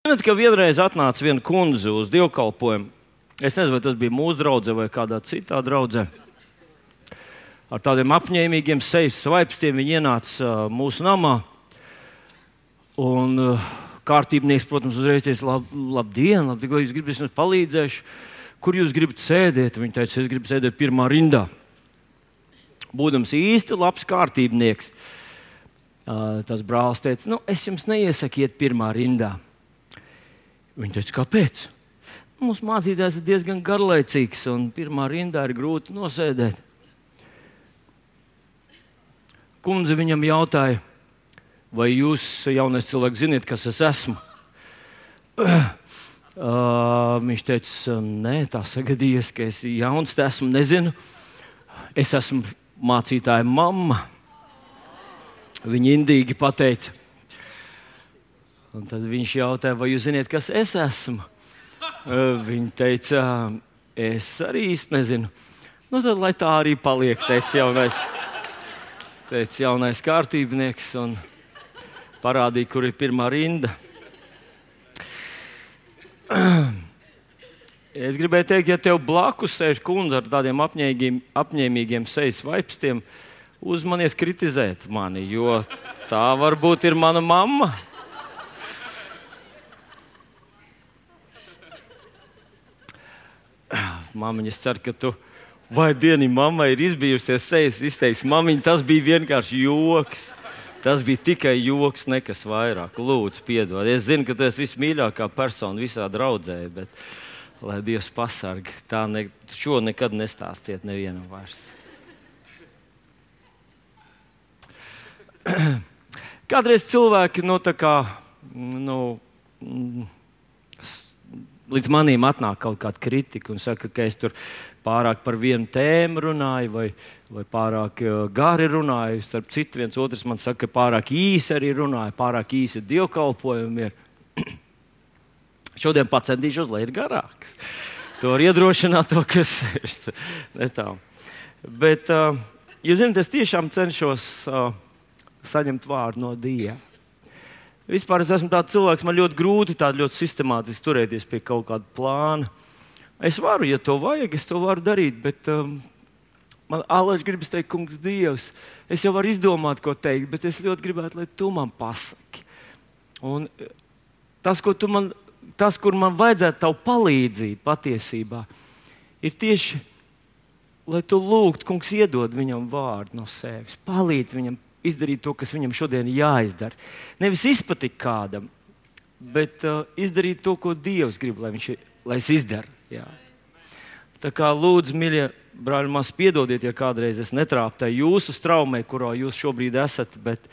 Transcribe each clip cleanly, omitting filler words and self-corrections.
Zināt, ka vienreiz atnāca viena kundze uz dievkalpojumu. Es nezinu, vai tas bija mūsu draudzē vai kādā citā draudzē. Ar tādiem apņēmīgiem sejas svaipstiem viņi ienāca mūsu namā. Un kārtībnieks, protams, uzreiz teica, labdien, ko jūs gribat, es jums palīdzēšu. Kur jūs gribat sēdēt? Viņa teica, es gribu sēdēt pirmā rindā. Būdams īsti labs kārtībnieks, tas brālis teica, es jums neiesaku iet pirmā rindā. Viņa teica, kāpēc? Mūsu mācītājs ir diezgan garlaicīgs, un pirmā rindā ir grūti nosēdēt. Kundze viņam jautāja, vai jūs, jaunais cilvēks, ziniet, kas es esmu? Viņš teica, nē, tā sagadījies, ka es jauns esmu, nezinu. Es esmu mācītāja mamma. Viņa indīgi pateica. Un tad viņš jautāja, vai jūs ziniet, kas es esmu? Viņa teica, es arī īsti nezinu. Tad lai tā arī paliek, teica jaunais kārtībnieks un parādīja, kur ir pirmā rinda. Es gribēju teikt, ja tev blakus sēž kundze ar tādiem apņēmīgiem sejas vaipstiem, uzmanies kritizēt mani, jo tā varbūt ir mana mamma. Māmiņa, es ceru, ka tu vai dienu mammai ir izbijusies sejas, izteiks, māmiņa, tas bija vienkārši joks. Tas bija tikai joks, nekas vairāk. Lūdzu, piedod. Es zinu, ka tu esi vismīļākā persona visā draudzē, bet lai Dievs pasarg, šo nekad nestāstiet nevienam vairs. Kādreiz cilvēki, līdz manīm atnāk kaut kāda kritika un saka, ka es tur pārāk par vienu tēmu runāju vai pārāk gari runāju. Starp citu, viens otrs man saka, ka pārāk īsi arī runāju, pārāk īsi dievkalpojumi ir. Šodien pacentīšos, lai ir garāks. To var iedrošināt to, kas ir. Bet, jūs zināt, es tiešām cenšos saņemt vārdu no Dieva. Vispār es esmu tāds cilvēks, man ļoti grūti ļoti sistemātiski turēties pie kaut kāda plāna. Es varu, ja to vajag, es to varu darīt, bet man ālaiši gribas teikt, kungs Dievs, es jau varu izdomāt, ko teikt, bet es ļoti gribētu, lai tu man pasaki. Un tas, kur man vajadzētu tavu palīdzību patiesībā, ir tieši, lai tu lūgtu, kungs iedod viņam vārdu no sevis, palīdz viņam izdarīt to, kas viņam šodien jāizdara. Nevis izpatikt kādam, bet izdarīt to, ko Dievs grib, lai es izdaru. Jā. Tā kā lūdzu, mīļie brāļi, mās piedodiet, ja kādreiz es netrāpēju jūsu straumē, kurā jūs šobrīd esat, bet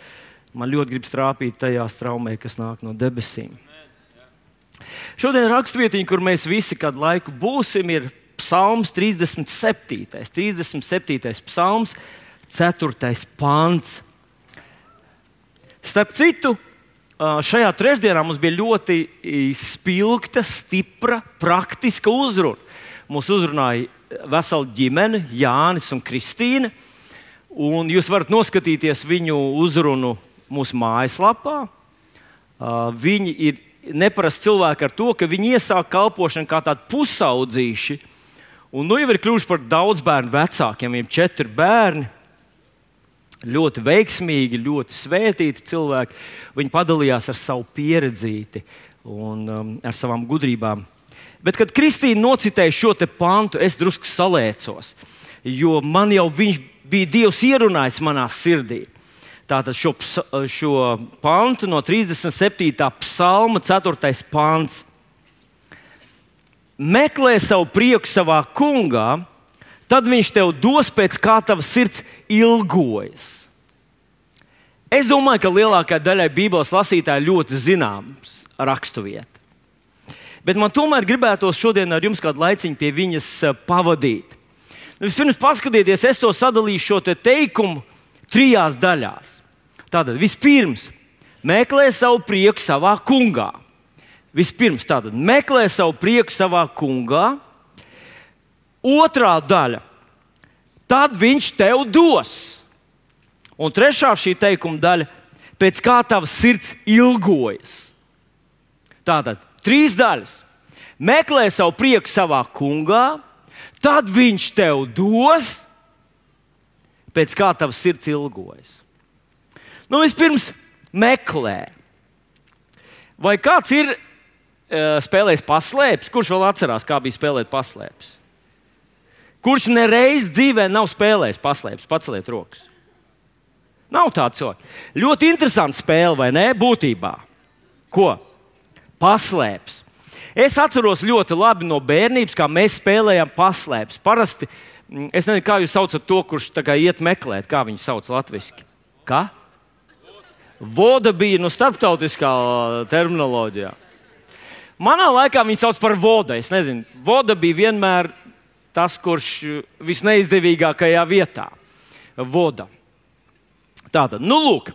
man ļoti grib trāpīt tajā straumē, kas nāk no debesīm. Šodien rakstvietiņa, kur mēs visi kādu laiku būsim, ir Psalms 37. 37. psalms, 4. pants. Starp citu, šajā trešdienā mums bija ļoti spilgta, stipra, praktiska uzruna. Mūs uzrunāja vesela ģimene, Jānis un Kristīne. Un jūs varat noskatīties viņu uzrunu mūsu mājaslapā. Viņi ir neparasti cilvēki ar to, ka viņi iesāk kalpošanu kā tādi pusaudzīši. Un jau ir kļuvuši par daudz bērnu vecākiem, viņiem 4 bērni. Ļoti veiksmīgi, ļoti svētīti cilvēki. Viņi padalījās ar savu pieredzīti un ar savām gudrībām. Bet, kad Kristīna nocitēja šo te pantu, es drusku salēcos, jo man jau viņš bija Dievs ierunājis manā sirdī. Tātad šo pantu no 37. psalma 4. pants. Meklē savu prieku savā kungā, tad viņš tev dos pēc kā tava sirds ilgojas. Es domāju, ka lielākajai daļai Bībeles lasītāji ļoti zināms raksturvieta. Bet man tomēr gribētos šodien ar jums kādu laiciņu pie viņas pavadīt. Vispirms paskatieties, es to sadalīšu šo teikumu 3 daļās. Tātad vispirms meklē savu prieku savā kungā. Vispirms tātad meklē savu prieku savā kungā. Otrā daļa. Tad viņš tev dos. Un trešā šī teikuma daļa. Pēc kā tavs sirds ilgojas. Tātad 3 daļas. Meklē savu prieku savā kungā, tad viņš tev dos, pēc kā tavs sirds ilgojas. Vispirms meklē. Vai kāds ir spēlējis paslēpes? Kurš vēl atcerās, kā bija spēlēt paslēpes? Kurš nereiz dzīvē nav spēlējis paslēpes? Paceliet rokas. Nav tāds cilvēks. Ļoti interesants spēle, vai ne? Būtībā. Ko? Paslēpes. Es atceros ļoti labi no bērnības, kā mēs spēlējām paslēpes. Parasti, es nezinu, kā jūs saucat to, kurš iet meklēt, kā viņu sauc latviski. Kā? Voda bija starptautiskā terminoloģijā. Manā laikā viņi sauc par vodu. Es nezinu, voda bija vienmēr tas, kurš visneizdevīgākajā vietā. Voda. Tātad, lūk,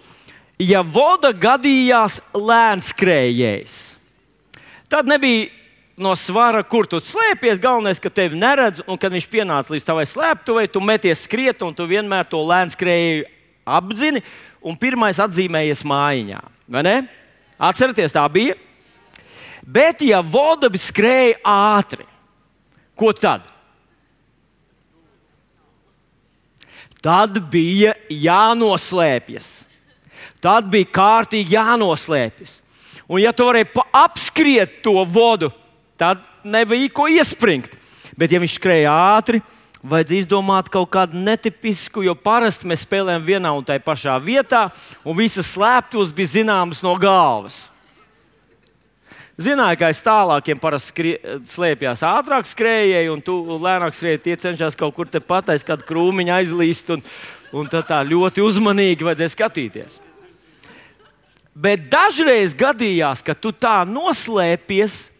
ja voda gadījās lēnskrējējs, tad nebija no svara, kur tu slēpies. Galvenais, ka tevi neredz, un kad viņš pienāca līdz tavai slēptuvei, tu meties skriet, un tu vienmēr to lēnskrējēju apzini, un pirmais atzīmējies mājiņā. Vai ne? Atcerieties, tā bija. Bet, ja voda skrēja ātri, ko tad? Tad bija jānoslēpjas. Tad bija kārtīgi jānoslēpjas. Un, ja tu varēji apskriet to vodu, tad nebija ko iespringt. Bet, ja viņš skrēja ātri, vajadzēja izdomāt kaut kādu netipisku, jo parasti mēs spēlējam vienā un tajā pašā vietā, un visas slēptuves bija zināmas no galvas. Zināju, ka aiz tālākiem parasti slēpjās ātrāk skrējēji, un tu lēnāk skrēji, tie cenšas kaut kur tepat aiz kādu krūmiņu aizlīst, un tā ļoti uzmanīgi vajadzēja skatīties. Bet dažreiz gadījās, ka tu tā noslēpies,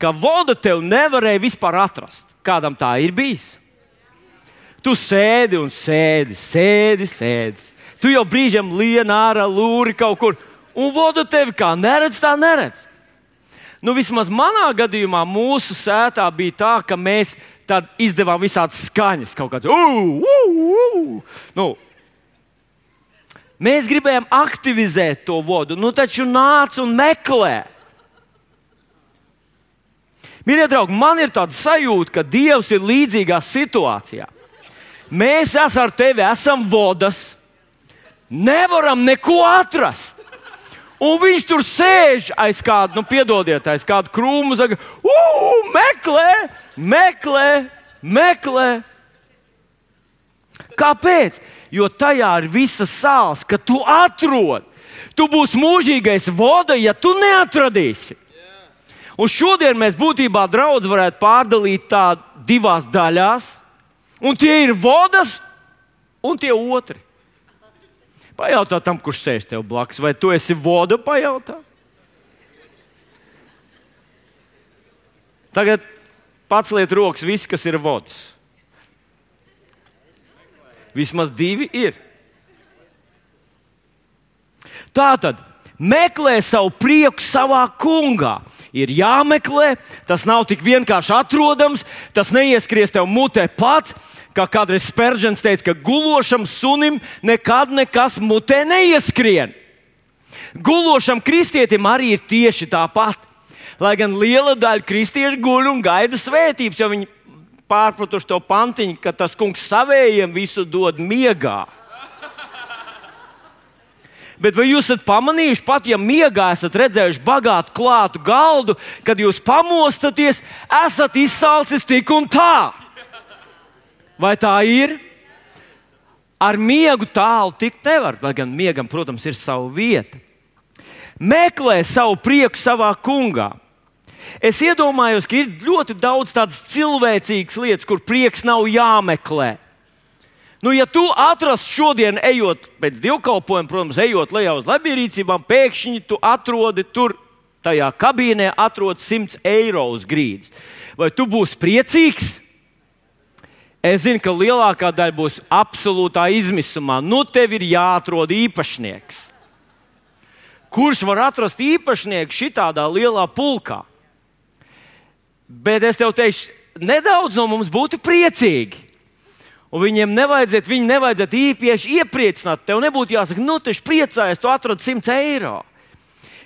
ka voda tev nevarēja vispār atrast. Kādam tā ir bijis? Tu sēdi un sēdi. Tu jau brīžiem lien ārā lūri kaut kur, un voda tevi kā neredz, tā neredz. Vismaz manā gadījumā mūsu sētā bija tā, ka mēs tad izdevām visādas skaņas, kaut kāds mēs gribējām aktivizēt to vodu, taču nāc un meklē. Mīļie draugi, man ir tāda sajūta, ka Dievs ir līdzīgā situācijā. Mēs ar tevi esam vodas, nevaram neko atrast. Un viņš tur sēž aiz kādu, piedodiet, aiz kādu krūmu, saka, meklē. Kāpēc? Jo tajā ir visas sāls, ka tu atrod. Tu būsi mūžīgais voda, ja tu neatradīsi. Un šodien mēs būtībā draudz varētu pārdalīt tā 2 daļās, un tie ir vodas un tie otri. Pajautā tam, kurš sēž tev blakus, vai tu esi voda, pajautā. Tagad paceliet rokas visi, kas ir vodas. Vismaz 2 ir. Tātad, meklē savu prieku savā kungā. Ir jāmeklē, tas nav tik vienkārši atrodams, tas neieskries tev mutē pats. Kā kādreiz Spērģents teica, ka gulošam sunim nekad nekas mutē neieskrien. Gulošam kristietim arī ir tieši tāpat. Lai gan liela daļa kristiešu guļ un gaida svētības, jo viņi pārpratuši to pantiņu, ka tas kungs savējiem visu dod miegā. Bet vai jūs esat pamanījuši, pat ja miegā esat redzējuši bagātu klātu galdu, kad jūs pamostaties, esat izsalcis tik un tā? Vai tā ir? Ar miegu tālu tikt nevar, lai gan miegam, protams, ir sava vieta. Meklē savu prieku savā kungā. Es iedomājos, ka ir ļoti daudz tādas cilvēcīgas lietas, kur prieks nav jāmeklē. Ja tu atrastu šodien, ejot pēc dievkalpojuma, protams, ejot lejā uz labierīcībām, pēkšņi tu atrodi tur, tajā kabīnē atrod 100 eiro uz grīdas. Vai tu būsi priecīgs? Es zinu, ka lielākā daļa būs absolūtā izmisumā. Tev ir jāatrod īpašnieks. Kurš var atrast īpašnieku šitādā lielā pulkā? Bet es tev teikšu, nedaudz no mums būtu priecīgi. Un viņi nevajadzētu īpaši iepriecināt. Tev nebūtu jāsaka, taču priecājies, tu atrod 100 eiro.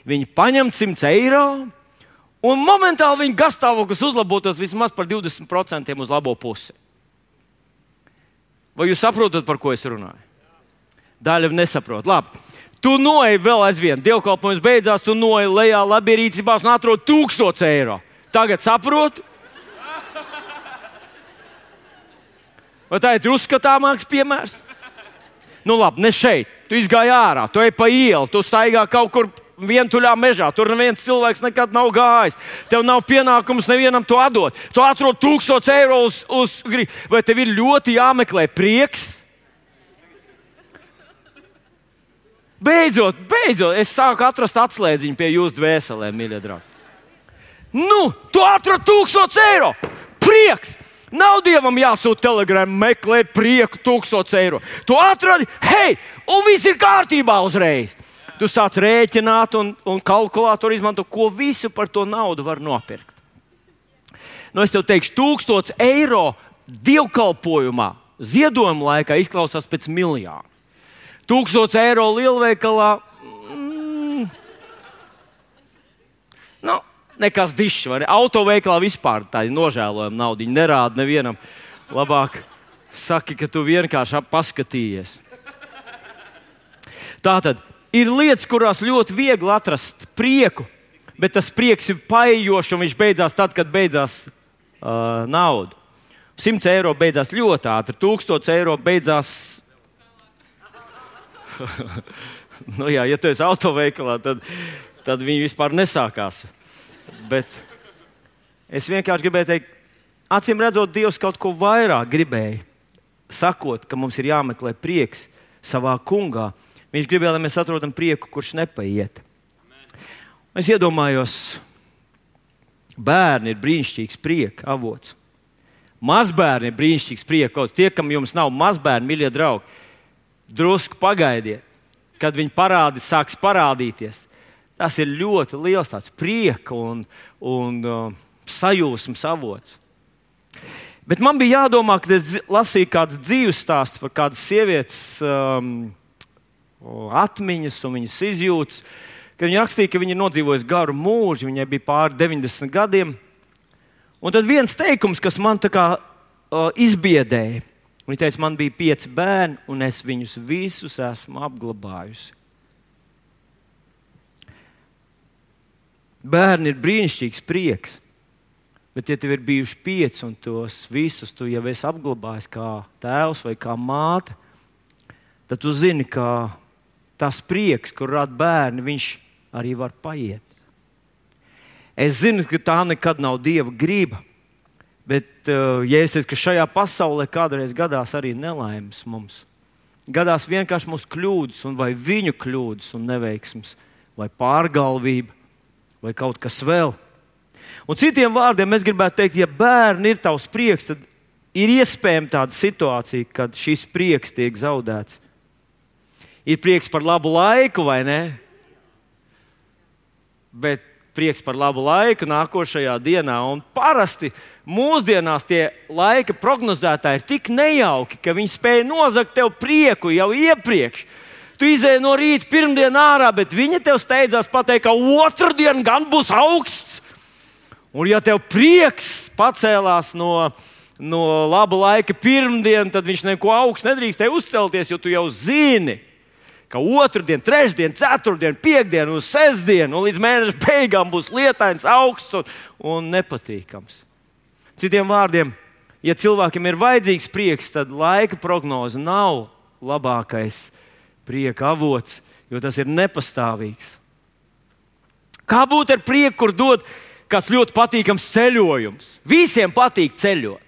Viņi paņem 100 eiro, Un momentāli viņa garstāvoklis uzlabotos vismaz par 20% uz labo pusi. Vai jūs saprotat, par ko es runāju? Daļa nesaprot. Labi. Tu noeji vēl aizvien. Dievkalpojums beidzās, tu noeji lejā labierīcībās un atrod 1000 eiro. Tagad saproti? Vai tā ir uzskatāmāks piemērs? Nu labi, ne šeit. Tu izgāji ārā, tu ej pa ielu, tu staigā kaut kur vientuļā mežā. Tur neviens cilvēks nekad nav gājis. Tev nav pienākums nevienam to atdot. Tu atrod 1000 eiro vai tev ir ļoti jāmeklē prieks? Beidzot, es sāku atrast atslēdziņu pie jūsu dvēselēm, mīļie draugi. Nu, tu atrod 1000 eiro! Prieks! Nav Dievam jāsūt telegramu, meklē prieku 1000 eiro. Tu atradi, hei, un viss ir kārtībā uzreiz. Tu sāc rēķināt un kalkulātoru izmanto, ko visu par to naudu var nopirkt. Nu, es tev teikšu, 1000 eiro dievkalpojumā, ziedojuma laikā izklausās pēc miljāna. 1000 eiro lielveikalā, nekas dišs, vai ne? Autoveikalā vispār tā ir nožēlojama nauda. Viņi nerāda nevienam. Labāk saki, ka tu vienkārši paskatījies. Tātad ir lietas, kurās ļoti viegli atrast prieku, bet tas prieks ir paejošs un viņš beidzās tad, kad beidzās nauda. 100 eiro beidzās ļoti ātri, 1000 eiro beidzās. Nu jā, ja tu esi autoveikalā, tad viņi vispār nesākās. Bet es vienkārši gribēju teikt, acīm redzot, Dievs kaut ko vairāk gribēja, sakot, ka mums ir jāmeklē prieks savā kungā. Viņš gribēja, lai mēs atrodam prieku, kurš nepaiet. Es iedomājos, bērni ir brīnišķīgs prieka avots. Mazbērni ir brīnišķīgs prieka avots. Tie, kam jums nav mazbērni, mīļie draugi, drusku pagaidiet, kad viņi sāks parādīties. Tas ir ļoti liels tāds prieka un sajūsmas avots. Bet man bija jādomā, kad es lasīju kādu dzīves stāstu par kādas sievietes atmiņas un viņas izjūtas, kad viņa rakstīja, ka viņa ir nodzīvojusi garu mūžu, viņai bija pāri 90 gadiem. Un tad viens teikums, kas man tā kā izbiedēja. Viņa teica, man bija 5 bērni, un es viņus visus esmu apglabājusi. Bērni ir brīnišķīgs prieks, bet ja tev ir bijuši 5 un tos visus tu jau esi apglabājis kā tēvs vai kā māte, tad tu zini, ka tas prieks, kur rada bērni, viņš arī var paiet. Es zinu, ka tā nekad nav Dieva griba, bet ja es teicu, ka šajā pasaulē kādreiz gadās arī nelaimes mums, gadās vienkārši mūsu kļūdas, un vai viņu kļūdas un neveiksmes, vai pārgalvība, vai kaut kas vēl. Un citiem vārdiem es gribētu teikt, ja bērni ir tavs prieks, tad ir iespējama tāda situācija, kad šis prieks tiek zaudēts. Ir prieks par labu laiku, vai ne? Bet prieks par labu laiku nākošajā dienā. Un parasti mūsdienās tie laika prognozētāji ir tik nejauki, ka viņi spēj nozagt tev prieku jau iepriekš. Tu izēji no rīta pirmdienu ārā, bet viņi tev steidzās pateikt, ka otrdien gan būs augsts. Un ja tev prieks pacēlās no laba laika pirmdien, tad viņš neko augstu nedrīkst te uzcelties, jo tu jau zini, ka otrdien, trešdien, ceturtdien, piekdien un sestdien un līdz mēneša beigām būs lietains, augsts un nepatīkams. Citiem vārdiem, ja cilvēkiem ir vajadzīgs prieks, tad laika prognoze nav labākais prieka avots, jo tas ir nepastāvīgs. Kā būt ar prieku, kur dod kāds ļoti patīkams ceļojums? Visiem patīk ceļot.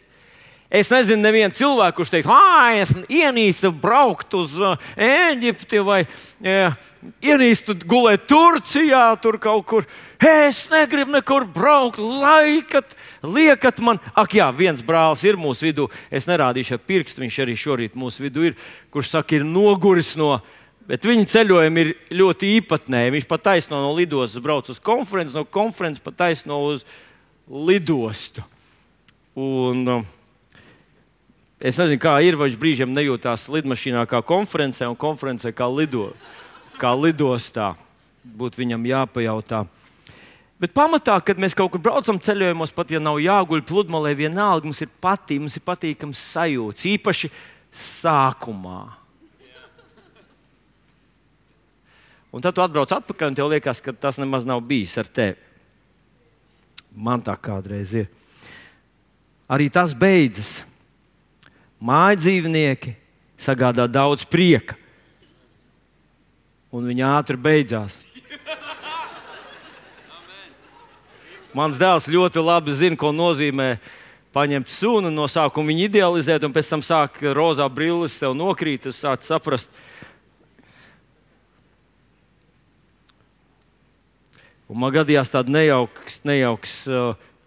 Es nezinu nevienu cilvēku, kurš teikt, es ienīstu braukt uz Ēģipti vai ienīstu gulēt Turcijā, tur kaut kur. Es negribu nekur braukt, liekat man. Ak jā, viens brālis ir mūsu vidū, es nerādīšu ar pirkstu, viņš arī šorīt mūsu vidū ir, kurš saka, ir noguris bet viņa ceļojumi ir ļoti īpatnēji. Viņš pat taisno no lidostas brauc uz konferenci, no konferences pat taisno uz lidostu. Un es nezinu, kā ir, vai viņš brīžiem nejūtās lidmašīnā kā konferencē un konferencē kā lidostā. Būtu viņam jāpajautā. Bet pamatā, kad mēs kaut kur braucam ceļojumos, pat ja nav jāguļ pludmalē, vienalga mums ir patīkams sajūts, īpaši sākumā. Un tad tu atbrauc atpakaļ un tev liekas, ka tas nemaz nav bijis ar tevi. Man tā kādreiz ir. Arī tas beidzas. Mājdzīvnieki sagādā daudz prieka. Un viņi ātri beidzās. Mans dēls ļoti labi zina, ko nozīmē paņemt sunu, no sākuma viņu idealizēt, un pēc tam sāk rozā brilles tev nokrīt, tu sāc saprast. Un man gadījās tāds nejauks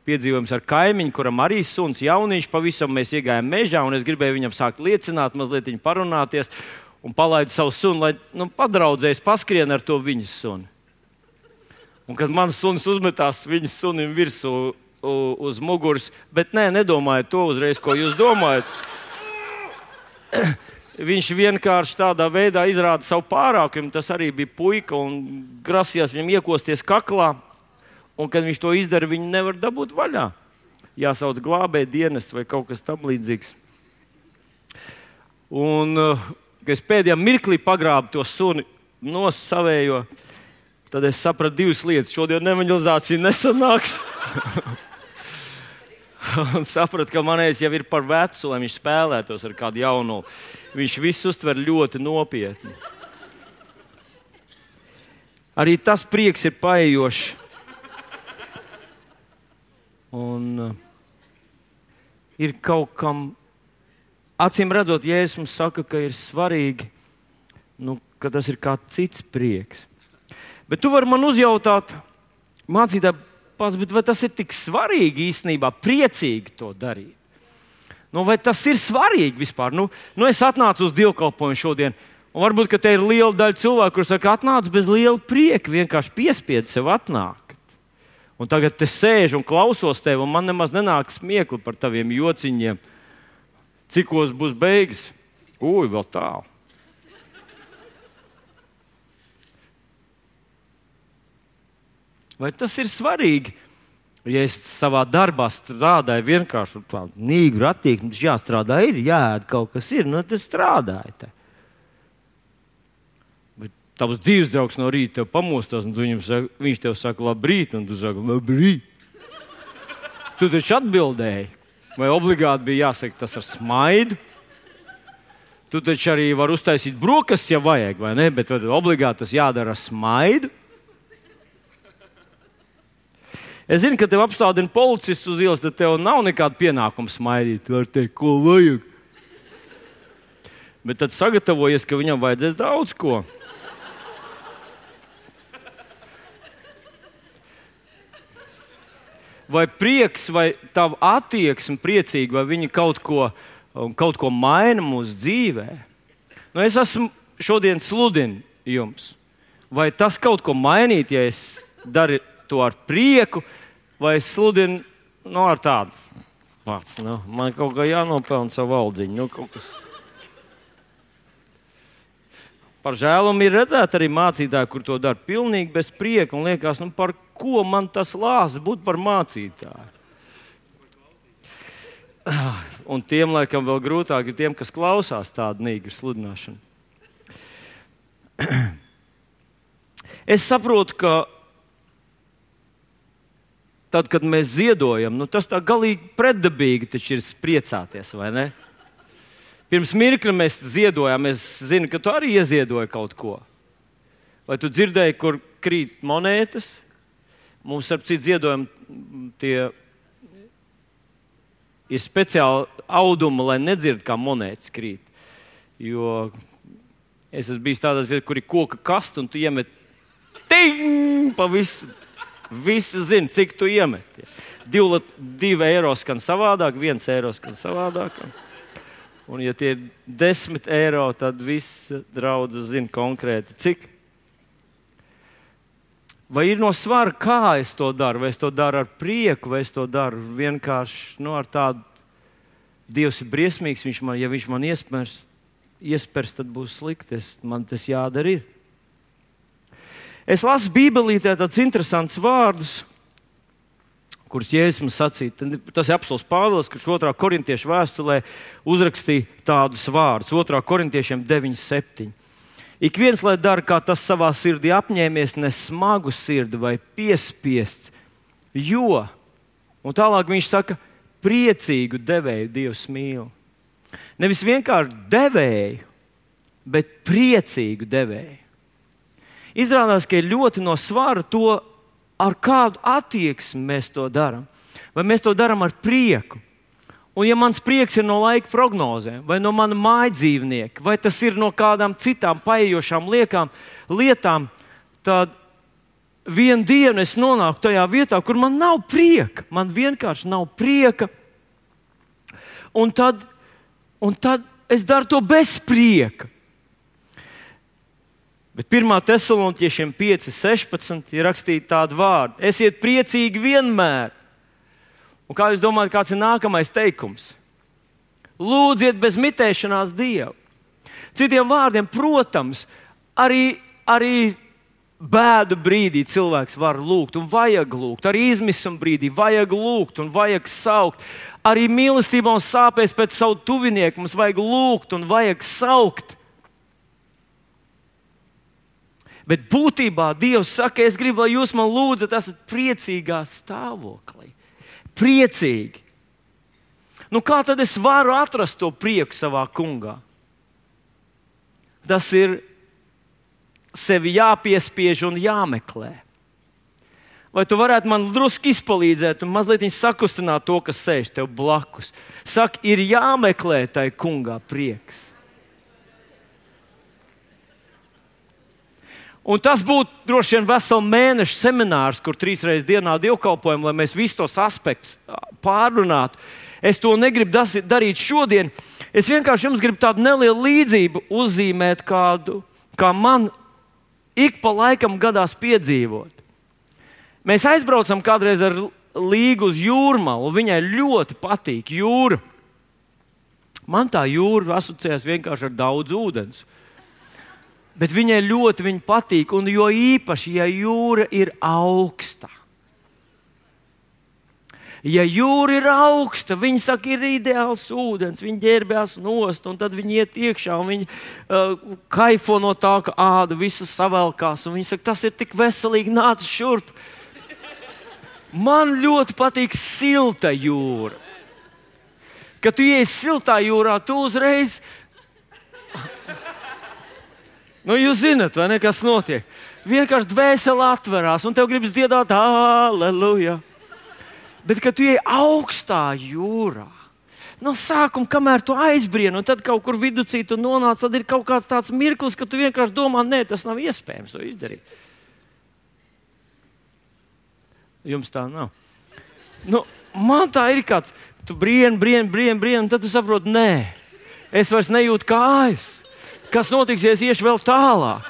piedzīvojums ar kaimiņu, kuram arī suns jauniņš, pavisam mēs iegājām mežā, un es gribēju viņam sākt liecināt, mazliet viņu parunāties, un palaidu savu sunu, lai padraudzējs paskrien ar to viņas suni. Un kad mans suns uzmetās viņas sunim virsū uz muguras, bet nedomājiet to uzreiz, ko jūs domājat. Viņš vienkārši tādā veidā izrāda savu pārākumu. Tas arī bija puika un grasījās viņam iekosties kaklā. Un, kad viņš to izdara, viņu nevar dabūt vaļā. Jāsauc glābēja dienests vai kaut kas tam līdzīgs. Un, kad es pēdējā mirklī pagrābu to suni savējo, tad es sapratu divas lietas. Šodien evanģelizācija nesanāks. Un sapratu, ka manējais jau ir par vecu, lai viņš spēlētos ar kādu jaunu. Viņš visu uztver ļoti nopietni. Arī tas prieks ir paejošs. Un ir kaut kam, acīm redzot, Jēzus mums saka, ka ir svarīgi, ka tas ir kā cits prieks. Bet tu vari man uzjautāt, mācītāji, vai tas ir tik svarīgi īstenībā, priecīgi to darīt? Vai tas ir svarīgi vispār? Es atnācu uz dievkalpojumu šodien, un varbūt, ka te ir liela daļa cilvēku, kur saka, atnācu bez liela prieka, vienkārši piespied sev atnākt. Un tagad te sēžu un klausos tevi, un man nemaz nenāk smiekli par taviem jociņiem. Cikos būs beigas? Vēl tālu. Vai tas ir svarīgi? Ja es savā darbā strādāju vienkārši tādu nīgru attieksmi, tad jāstrādā ir, jāēd kaut kas ir, tad strādāju te. Bet tavs dzīves draugs no rīta tev pamostās, un viņš tev saka labrīt, un tu saki labrīt. Tu taču atbildēji. Vai obligāti bija jāsaka tas ar smaidu? Tu taču arī vari uztaisīt brokastis, ja vajag, vai ne? Bet obligāti tas jādara ar smaidu. Es zinu, ka tev apstādina policists uz ielas, tad tev nav nekāda pienākuma smaidīt. Tu vari teikt, ko vajag. Bet tad sagatavojies, ka viņam vajadzēs daudz ko. Vai prieks, vai tava attieksme priecīga, vai viņi kaut ko maina mūsu dzīvē? Es esmu šodien sludinu jums. Vai tas kaut ko mainīt, ja es daru to ar prieku, vai es sludinu ar tādu pats. Man kaut kā jānopelna savu aldziņu. Par žēlumu ir redzēt arī mācītāji, kur to dara pilnīgi bez prieka un liekas, par ko man tas lāsts būt par mācītāju. Un tiem, laikam, vēl grūtāk ir tiem, kas klausās tādu nīgru sludināšanu. Es saprotu, ka tad, kad mēs ziedojam, tas tā galīgi pretdabīgi taču ir priecāties, vai ne? Pirms mirkļa mēs ziedojām, es zinu, ka tu arī ieziedoji kaut ko. Vai tu dzirdēji, kur krīt monētas? Mums, starp citu, ziedojumi tie ir speciāli audumi, lai nedzird, kā monētas krīt. Jo es esmu bijis tādās vietās, kur ir koka kasta, un tu iemet pa visu. Visi zina, cik tu iemet. 2 eiro skan savādāk, 1 eiro skan savādāk. Un, ja tie ir 10 eiro, tad viss draudzes zina konkrēti, cik. Vai ir no svara, kā es to daru? Vai es to daru ar prieku, vai es to daru vienkārši ar tādu, Dievs ir briesmīgs, ja viņš man iespers, tad būs slikti. Man tas jādara ir. Es lasu Bībelītē tādus interesantus vārdus, kuras Jēzus mums sacīja. Tas ir apostols Pāvils, kurš 2. korintiešu vēstulē uzrakstīja tādus vārdus. 2. korintiešiem 9:7. Ik viens, lai dara, kā tas savā sirdī apņēmies, ne smagu sirdi vai piespiests, jo, un tālāk viņš saka, priecīgu devēju Dievs mīl. Nevis vienkārši devēju, bet priecīgu devēju. Izrādās, ka ir ļoti no svara to, ar kādu attieksmi mēs to darām. Vai mēs to darām ar prieku? Un ja mans prieks ir no laika prognozēm, vai no mana mājdzīvnieka, vai tas ir no kādām citām paejošām lietām, tad vienu dienu es nonāku tajā vietā, kur man nav prieka. Man vienkārši nav prieka. Un tad es daru to bez prieka. Bet 1. Tesaloniķiešiem 5:16 ir rakstīti tādi vārdi: esiet priecīgi vienmēr. Un kā jūs domājat, kāds ir nākamais teikums? Lūdziet bez mitēšanās Dievu. Citiem vārdiem, protams, arī bēdu brīdī cilvēks var lūgt un vajag lūgt. Arī izmisuma brīdī vajag lūgt un vajag saukt. Arī mīlestībā un sāpēs pēc savu tuvinieku mums vajag lūgt un vajag saukt. Bet būtībā Dievs saka, es gribu, lai jūs man lūdzat, esat priecīgā stāvoklī. Priecīgi. Nu, kā tad es varu atrast to prieku savā kungā? Tas ir sevi jāpiespiež un jāmeklē. Vai tu varētu man drusku izpalīdzēt un mazliet sakustināt to, kas sēž tev blakus? Saka, ir jāmeklē tai kungā prieks. Un tas būtu droši vien veselu mēnešu seminārs, kur 3 reizes dienā dievkalpojam, lai mēs visus tos aspektus pārrunātu. Es to negribu darīt šodien. Es vienkārši jums gribu tādu nelielu līdzību uzzīmēt, kā man ik pa laikam gadās piedzīvot. Mēs aizbraucam kādreiz ar Līgu uz Jūrmalu, un viņai ļoti patīk jūra. Man tā jūra asociējas vienkārši ar daudz ūdens. Bet viņai ļoti patīk, un jo īpaši, ja jūra ir augsta. Ja jūra ir augsta, viņi saka, ir ideāls ūdens, viņi ģērbjās nost, un tad viņi iet iekšā, un viņi kaifo no tā, ka āda visas savelkās, un viņi saka, tas ir tik veselīgi, nāc šurp. Man ļoti patīk silta jūra. Kad tu iesi siltā jūrā, tu uzreiz... Nu, jūs zināt, vai ne, kas notiek? Vienkārši dvēsele atverās, un tev gribas dziedāt, aleluja. Bet, kad tu ej augstā jūrā, no sākuma, kamēr tu aizbrieni, un tad kaut kur viducī tu nonāc, tad ir kaut kāds tāds mirklis, ka tu vienkārši domā, nē, tas nav iespējams to izdarīt. Jums tā nav. Nu, man tā ir kāds, tu brieni, un tad tu saproti, nē, es vairs nejūtu kājas. Kas notiks, ja es iešu vēl tālāk?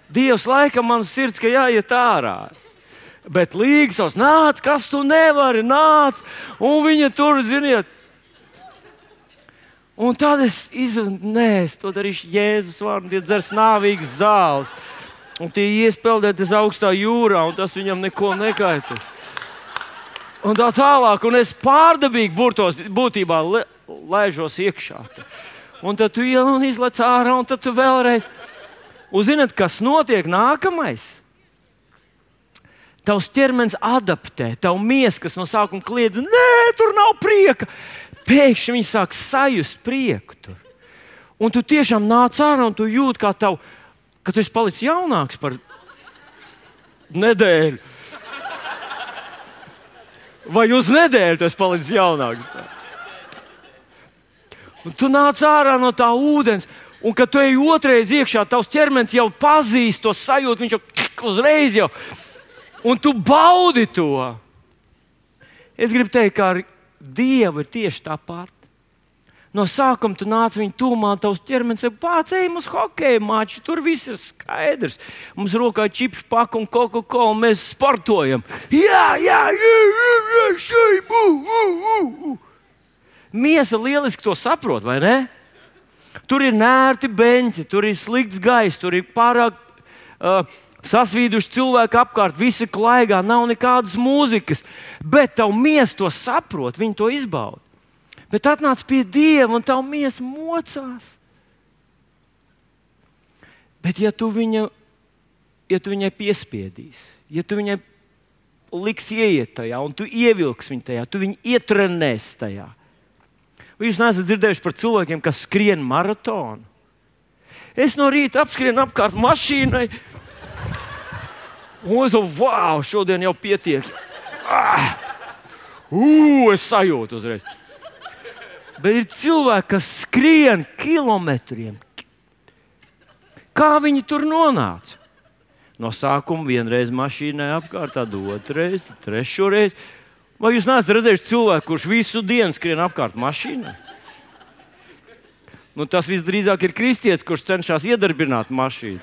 Dievs laikam man sirds, ka jāiet ārā. Bet Līga savs, nāc, kas tu nevari, nāc. Un viņa tur, ziniet. Un tad es izrunāju, nē, es to darīšu Jēzus vārdu, tie dzers nāvīgas zāles. Un tie iespeldēties augstā jūrā, un tas viņam neko nekaitas. Un tā tālāk, un es pārdabīgi būtībā laižos iekšā. Un tad tu izlec ārā, un tad tu vēlreiz. Un zināt, kas notiek nākamais? Tavs ķermenis adaptē, tavu miesa, kas no sākuma kliedz, nē, tur nav prieka. Pēkšņi viņi sāk sajust prieku tur. Un tu tiešām nāc ārā, un tu jūti, ka tu esi palicis jaunāks par nedēļu. Vai uz nedēļu tu esi palicis jaunāks? Un tu nāc ārā no tā ūdens, un kad tu ej otrais iekšā, tavs ķermenis jau pazīst to sajūtu, viņš jau uzreiz jau, un tu baudi to. Es gribu teikt, ka ar Dievu ir tieši tāpat. No sākuma tu nāc viņu tūmā, tavs ķermenis saka, pārcējam uz hokeja maču, tur viss ir skaidrs. Mums rokā čipšu paku un Coca-Cola, un mēs sportojam. Jā, šai, Miesa lieliski to saprot, vai ne? Tur ir nērti beņķi, tur ir slikts gaiss, tur ir pārāk Sasvīduši cilvēki apkārt, visi klaigā, nav nekādas mūzikas, bet tavu miesu to saprot, viņi to izbauda. Bet atnāc pie Dieva un tavu miesu mocās. Bet ja tu viņai piespiedīsi, ja tu viņai liksi ieiet tajā un tu ievilksi viņu tajā, tu viņu ietrenēsi tajā. Vai jūs neesat dzirdējuši par cilvēkiem, kas skrien maratonu? Es no rīta apskrienu apkārt mašīnai. Un es domāju, wow, šodien jau pietiek. Es sajūtu uzreiz. Bet ir cilvēki, kas skrien kilometriem. Kā viņi tur nonāca? No sākuma vienreiz mašīnai apkārt, tad otrreiz, tad trešoreiz. Vai jūs neesat redzējuši cilvēku, kurš visu dienu skrien apkārt mašīnai? Tas visdrīzāk ir kristietis, kurš cenšas iedarbināt mašīnu.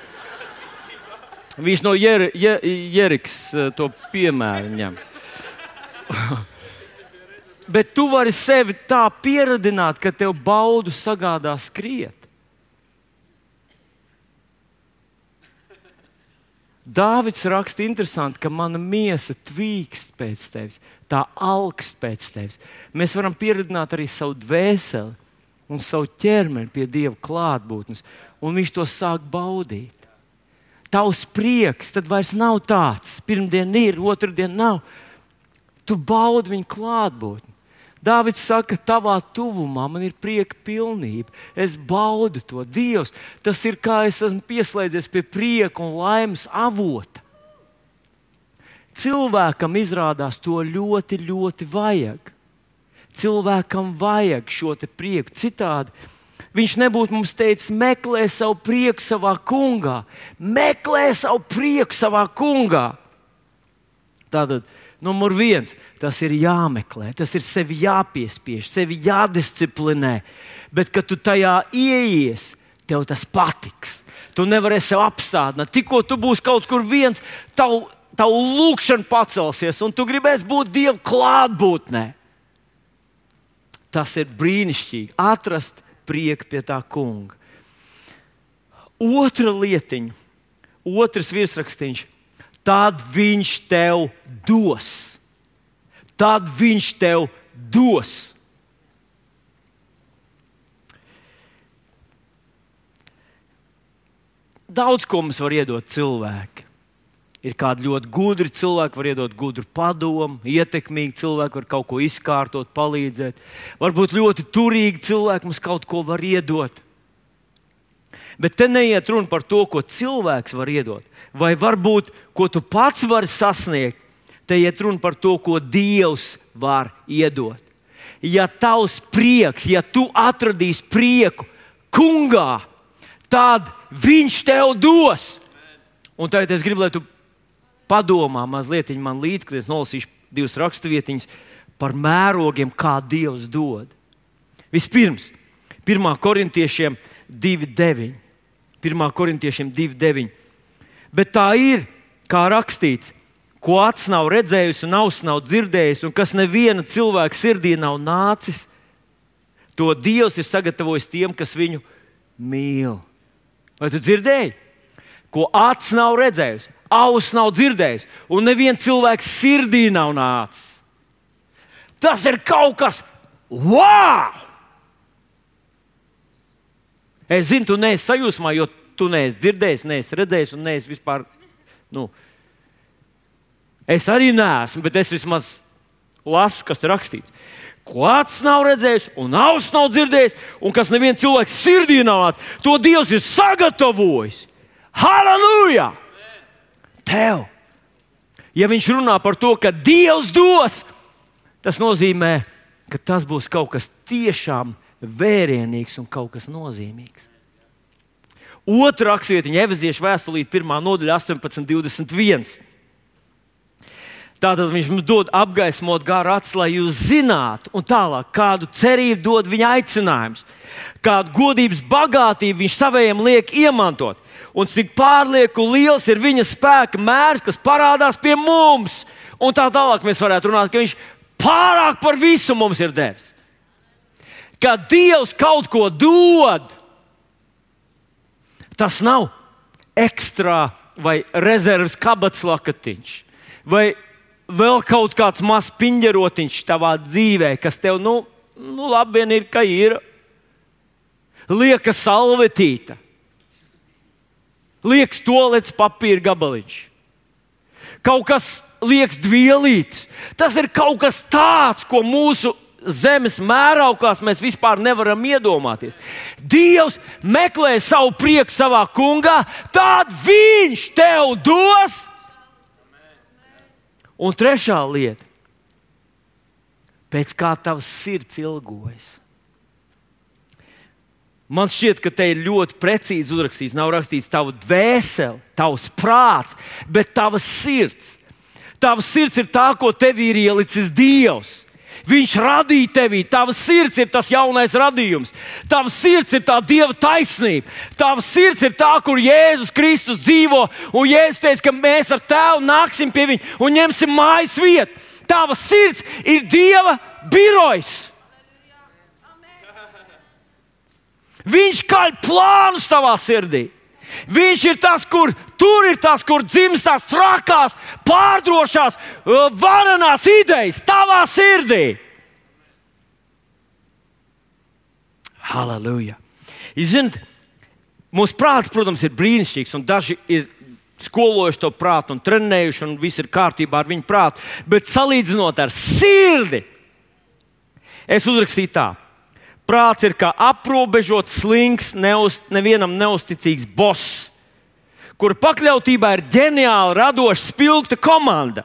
Viņš no Jerikas to piemēru ņem. Bet tu vari sevi tā pieradināt, ka tev baudu sagādā skriet. Dāvids raksta interesanti, ka mana miesa tvīkst pēc tevis, tā augst pēc tevis. Mēs varam pieradināt arī savu dvēseli un savu ķermeni pie Dieva klātbūtnes, un viņš to sāk baudīt. Tavs prieks tad vairs nav tāds. Pirmdien ir, otrdien nav. Tu baudi viņa klātbūtni. Dāvids saka, tavā tuvumā man ir prieka pilnība. Es baudu to. Dievs, tas ir kā es esmu pieslēdzies pie prieka un laimes avota. Cilvēkam izrādās to ļoti, ļoti vajag. Cilvēkam vajag šo te prieku. Citādi viņš nebūtu mums teicis, meklē savu prieku savā kungā. Meklē savu prieku savā kungā. Tātad, numur 1, tas ir jāmeklē, tas ir sevi jāpiespiež, sevi jādisciplinē. Bet, kad tu tajā ieies, tev tas patiks. Tu nevarēsi sev apstādināt. Tikko tu būsi kaut kur viens, tavu lūkšana pacelsies, un tu gribēsi būt Dieva klātbūtnē. Tas ir brīnišķīgi. Atrast prieku pie tā kunga. Otra lietiņa, otrs virsrakstīns. Tad viņš tev dos. Tad viņš tev dos. Daudz ko mums var iedot cilvēki. Ir kādi ļoti gudri cilvēki, var iedot gudru padomu, ietekmīgi cilvēki var kaut ko izkārtot, palīdzēt. Varbūt ļoti turīgi cilvēki mums kaut ko var iedot. Bet te neiet runa par to, ko cilvēks var iedot. Vai varbūt, ko tu pats vari sasniegt. Te iet runa par to, ko Dievs var iedot. Ja tavs prieks, ja tu atradīsi prieku kungā, tad viņš tev dos. Un tagad es gribu, lai tu padomā mazliet man līdzi, kad es nolasīšu 2 raksturvietiņas par mērogiem, kā Dievs dod. Vispirms, 1. Korintiešiem 2.9. 1. Korintiešiem 2.9. Bet tā ir, kā rakstīts, ko acs nav redzējusi un auss nav dzirdējusi, un kas neviena cilvēka sirdī nav nācis, to Dievs ir sagatavojis tiem, kas viņu mīl. Vai tu dzirdēji? Ko acs nav redzējusi, auss nav dzirdējusi, un neviena cilvēka sirdī nav nācis. Tas ir kaut kas wow! Es zinu, tu neesi sajūsmā, jo tu neesi dzirdējis, neesi redzējis un neesi vispār. Es arī neesmu, bet es vismaz lasu, kas tur rakstīts. Ko acs nav redzējis un auss nav dzirdējis, un kas neviens cilvēks sirdī nav nācis, to Dievs ir sagatavojis. Halleluja! Tev! Ja viņš runā par to, ka Dievs dos, tas nozīmē, ka tas būs kaut kas tiešām vērienīgs un kaut kas nozīmīgs. Otra rakstvietiņa, Efeziešu vēstulīte, 1. nodaļa, 18.21. Tātad viņš mums dod apgaismot garu acis, lai jūs zinātu, un tālāk, kādu cerību dod viņa aicinājums, kādu godības bagātību viņš savējiem liek iemantot, un cik pārlieku liels ir viņa spēka mērs, kas parādās pie mums. Un tā tālāk mēs varētu runāt, ka viņš pārāk par visu mums ir devis. Kad Dievs kaut ko dod, tas nav ekstrā vai rezerves kabatas lakatiņš, vai vēl kaut kāds mazs piņģerotiņš tavā dzīvē, kas tev, labi vien ir, ka ir. Lieka salvetīta, liekas toalets papīra gabaliņš, kaut kas liekas dvielītis. Tas ir kaut kas tāds, ko mūsu zemes mērauklās mēs vispār nevaram iedomāties. Dievs meklē savu prieku savā kungā, tad viņš tev dos. Un trešā lieta, pēc kā tavs sirds ilgojas. Man šķiet, ka te ir ļoti precīzi uzrakstīts. Nav rakstīts tava dvēsele, tavs prāts, bet tavs sirds. Tavs sirds ir tā, ko tevī ir ielicis Dievs. Viņš radīja tevī. Tavs sirds ir tas jaunais radījums. Tavs sirds ir tā Dieva taisnība. Tavs sirds ir tā, kur Jēzus Kristus dzīvo. Un Jēzus teica, ka mēs ar Tēvu nāksim pie viņa un ņemsim mājas vietu. Tavs sirds ir Dieva birojs. Viņš kaļ plānus tavā sirdī. Viņš ir tas, kur dzimst tās trakās, pārdrošās, varenās idejas tavā sirdī. Halleluja! Jūs zināt, mūsu prāts, protams, ir brīnišķīgs, un daži ir skolojuši to prātu un trenējuši, un viss ir kārtībā ar viņu prātu. Bet salīdzinot ar sirdi, es uzrakstīju tā. Prāts ir kā aprobežots, slings, nevienam neusticīgs boss, kur pakļautībā ir ģeniāli radoša, spilgta komanda,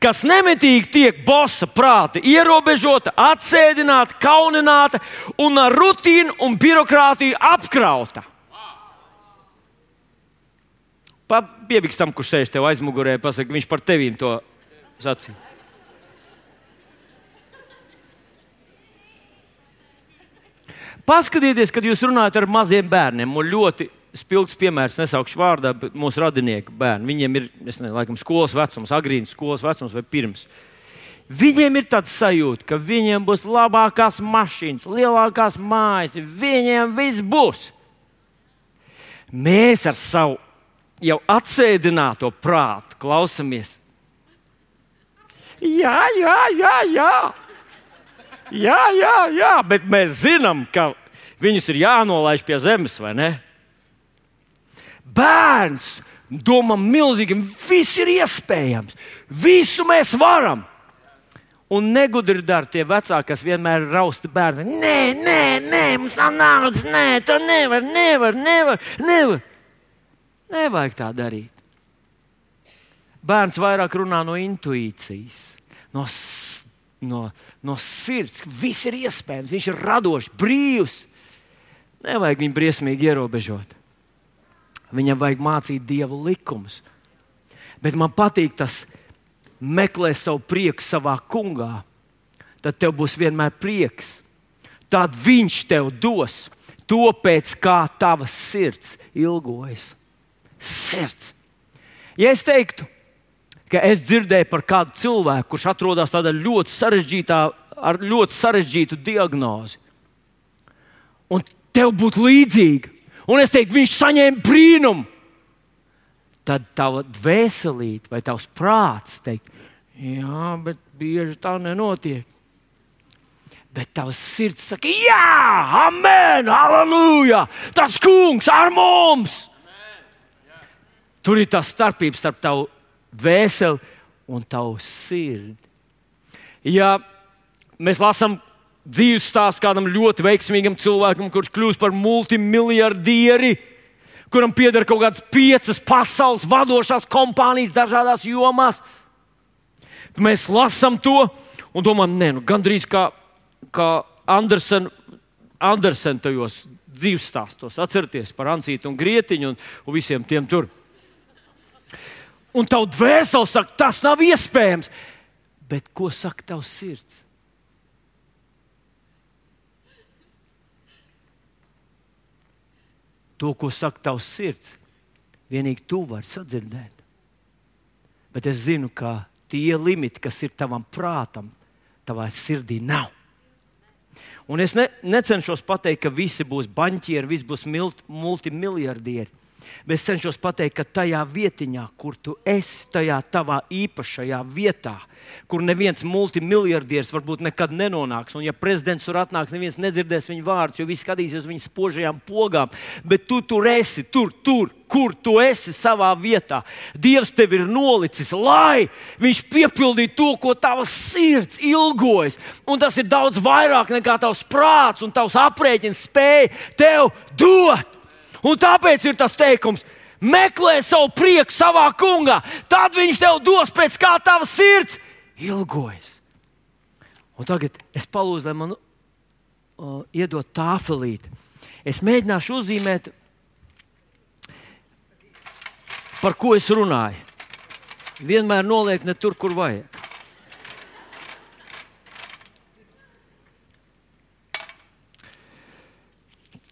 kas nemitīgi tiek bossa prāta ierobežota, atsēdināta, kaunināta un ar rutīnu un birokrātiju apkrauta. Piebiks tam, kurš sēž tev aizmugurē, pasaka, viņš par tevīm to sacīja. Paskatieties, kad jūs runājat ar maziem bērniem, un ļoti spilgts piemērs, nesaukšu vārdā, bet mūsu radinieku bērni. Viņiem ir, laikam, skolas vecums, agrīnas skolas vecums vai pirms. Viņiem ir tāds sajūta, ka viņiem būs labākās mašīnas, lielākās mājas, viņiem viss būs. Mēs ar savu jau atsēdināto prātu klausamies. Jā, bet mēs zinām, ka viņus ir jānolaiž pie zemes, vai ne? Bērns domā milzīgi, viss ir iespējams, visu mēs varam. Un negudri dara tie vecāki, kas vienmēr rausta bērnu. Nē, mums nav naudas, to nevar. Nevajag tā darīt. Bērns vairāk runā no intuīcijas, no sirds, ka viss ir iespējams, viņš ir radošs, brīvs. Nevajag viņu briesmīgi ierobežot. Viņam vajag mācīt Dieva likumus. Bet man patīk tas, meklē savu prieku savā kungā. Tad tev būs vienmēr prieks. Tad viņš tev dos to, pēc kā tavas sirds ilgojas. Sirds. Ja es teiktu, ka es dzirdēju par kādu cilvēku, kurš atrodas tādā ar ļoti sarežģītu diagnozi, un tev būtu līdzīga, un es teiktu, viņš saņēma brīnumu, tad tava dvēselīte vai tavs prāts teikt, jā, bet bieži tā nenotiek. Bet tavs sirds saka, jā, amen, halleluja, tas kungs ar mums. Tur ir tā starpība starp tavu dvēseli un tavu sirdi. Ja mēs lasām dzīves stāstu kādam ļoti veiksmīgam cilvēkam, kurš kļūst par multimiljardieri, kuram pieder kaut kādas 5 pasaules vadošās kompānijas dažādās jomās, mēs lasām to un domājam, gandrīz kā Andersen tajos dzīves stāstos. Atcerieties par Ansītu un Grietiņu un visiem tiem tur. Un tavu dvēseli saka, tas nav iespējams. Bet ko saka tavs sirds? To, ko saka tavs sirds, vienīgi tu vari sadzirdēt. Bet es zinu, ka tie limiti, kas ir tavam prātam, tavā sirdī nav. Un es necenšos pateikt, ka visi būs baņķieri, visi būs multimiljardieri. Bet es cenšos pateikt, ka tajā vietiņā, kur tu esi, tajā tavā īpašajā vietā, kur neviens multimiljardieris varbūt nekad nenonāks, un ja prezidents tur atnāks, neviens nedzirdēs viņu vārdus, jo visi skatīsies viņu spožajām pogām, bet tu tur esi, tur, kur tu esi savā vietā. Dievs tevi ir nolicis, lai viņš piepildītu to, ko tavs sirds ilgojas. Un tas ir daudz vairāk nekā tavs prāts un tavs aprēķins spēja tev dot. Un tāpēc ir tas teikums: meklē savu prieku savā kungā, tad viņš tev dos pēc kā tava sirds ilgojas. Un tagad es palūdzu, lai man iedod tāfelīti. Es mēģināšu uzzīmēt, par ko es runāju. Vienmēr noliek ne tur, kur vajag.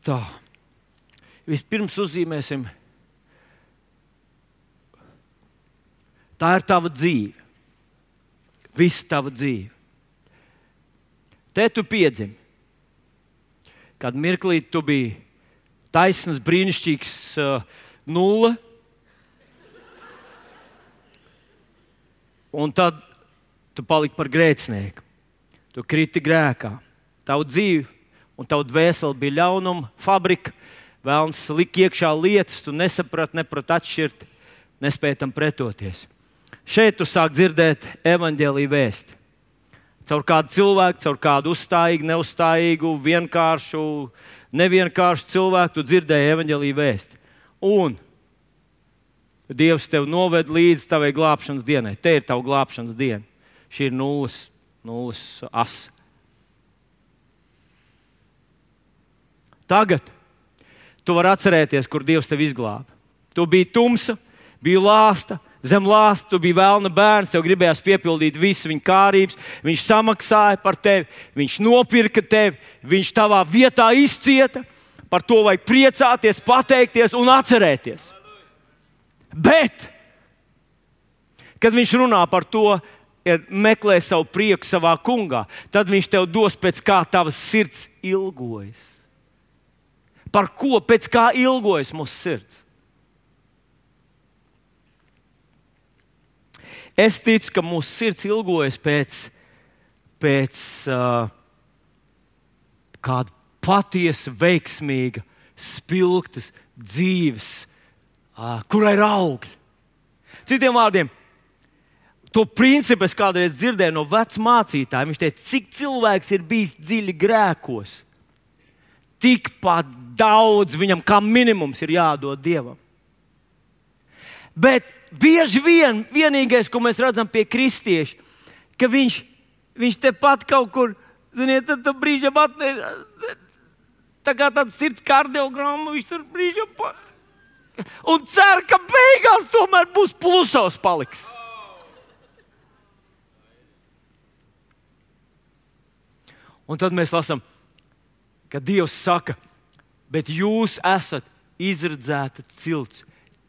Tā. Vispirms uzzīmēsim. Tā ir tava dzīve. Visa tava dzīve. Te tu piedzimi. Kad mirklī tu biji taisns, brīnišķīgs nulle. Un tad tu paliki par grēcinieku. Tu kriti grēkā. Tavu dzīvi un tavu dvēseli bija ļaunuma fabrika. Vēlns lika iekšā lietas, tu nesaprati atšķirt, nespēji tam pretoties. Šeit tu sāk dzirdēt evaņģēlija vēsti. Caur kādu cilvēku, caur kādu uzstājīgu, neuzstājīgu, vienkāršu, nevienkāršu cilvēku tu dzirdēji evaņģēlija vēsti. Un Dievs tev noved līdz tavai glābšanas dienai. Te ir tava glābšanas diena. Šī ir nulles asa. Tagad tu vari atcerēties, kur Dievs tevi izglāba. Tu biji tumsa, biji lāsta, zem lāsta, tu biji velna bērns, tev gribējās piepildīt visu viņa kārības, viņš samaksāja par tevi, viņš nopirka tevi, viņš tavā vietā izcieta, par to vajag priecāties, pateikties un atcerēties. Bet, kad viņš runā par to, ja meklē savu prieku savā kungā, tad viņš tev dos pēc kā tavas sirds ilgojas. Par ko, pēc kā ilgojas mūsu sirds? Es ticu, ka mūsu sirds ilgojas pēc kāda patiesa, veiksmīga, spilgtas dzīves, kurai ir augļi. Citiem vārdiem, to principu es kādreiz dzirdēju no vecmācītājiem. Viņš teica, cik cilvēks ir bijis dziļi grēkos, tikpat daudz viņam kā minimums ir jādod Dievam. Bet bieži vienīgais, ko mēs redzam pie kristieša, ka viņš tepat kaut kur, ziniet, tad brīžam tā kā tāds sirds kardiogramma, viņš tur brīžam un cer, ka beigās tomēr būs plusos paliks. Un tad mēs lasām, ka Dievs saka, bet jūs esat izredzēta cilts,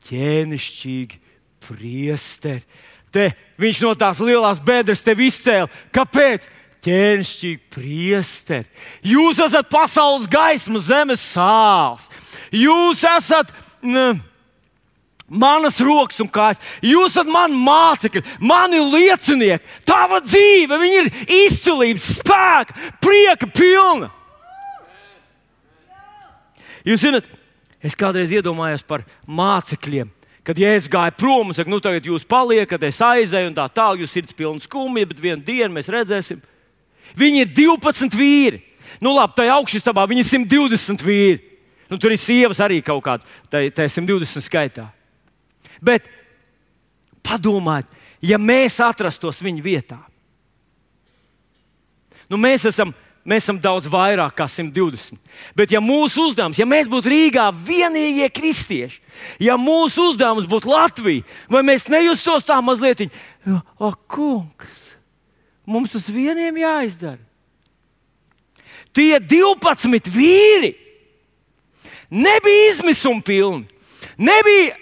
ķēnišķīgi priesteri. Te viņš no tās lielās bedres tevi izcēla. Kāpēc? Ķēnišķīgi priesteri. Jūs esat pasaules gaisma, zemes sāls. Jūs esat manas rokas un kājas. Jūs esat mani mācekļi, mani liecinieki. Tava dzīve, viņa ir izcilības, spēka, prieka pilna. Jūs zināt, es kādreiz iedomājos par mācekļiem, kad Jēzus gāja prom un saka, nu tagad jūs paliekat, es aizēju un tā tālāk, jūs sirds pilna skumja, bet vienu dienu mēs redzēsim. Viņi ir 12 vīri. Nu labi, tajā augšstabā viņi ir 120 vīri. Nu, tur ir sievas arī kaut kāds, tā 120 skaitā. Bet padomājiet, ja mēs atrastos viņa vietā. Nu, mēs esam daudz vairāk kā 120. Bet ja mūsu uzdevums, ja mēs būtu Rīgā vienīgie kristieši, ja mūsu uzdevums būtu Latvija, vai mēs nejustos tā mazliet, kungs, mums tas vieniem jāizdara. Tie 12 vīri nebija izmisuma pilni, nebija